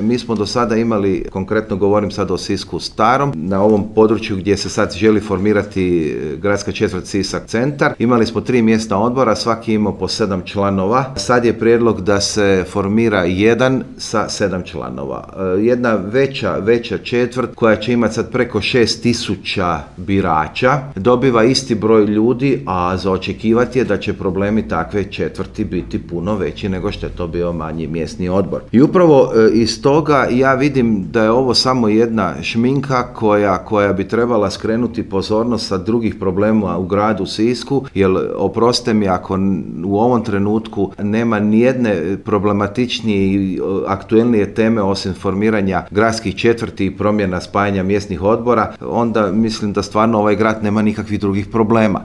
Mi smo do sada imali, konkretno govorim sad o Sisku starom, na ovom području gdje se sad želi formirati gradska četvrt Sisak centar. Imali smo 3 mjesna odbora, svaki imao po 7 članova. Sad je prijedlog da se formira jedan sa 7 članova. Jedna veća četvrt koja će imati sad preko 6.000 birača dobiva isti broj ljudi, a za očekivati je da će problemi takve četvrti biti puno veći nego što je to bio manji mjesni odbor. I upravo iz toga ja vidim da je ovo samo jedna šminka koja bi trebala skrenuti pozornost sa drugih problema u gradu Sisku, jer oprostite mi ako u ovom trenutku nema nijedne problematičnije i aktuelnije teme osim formiranja gradskih četvrti i promjena spajanja mjesnih odbora, onda mislim da stvarno ovaj grad nema nikakvih drugih problema.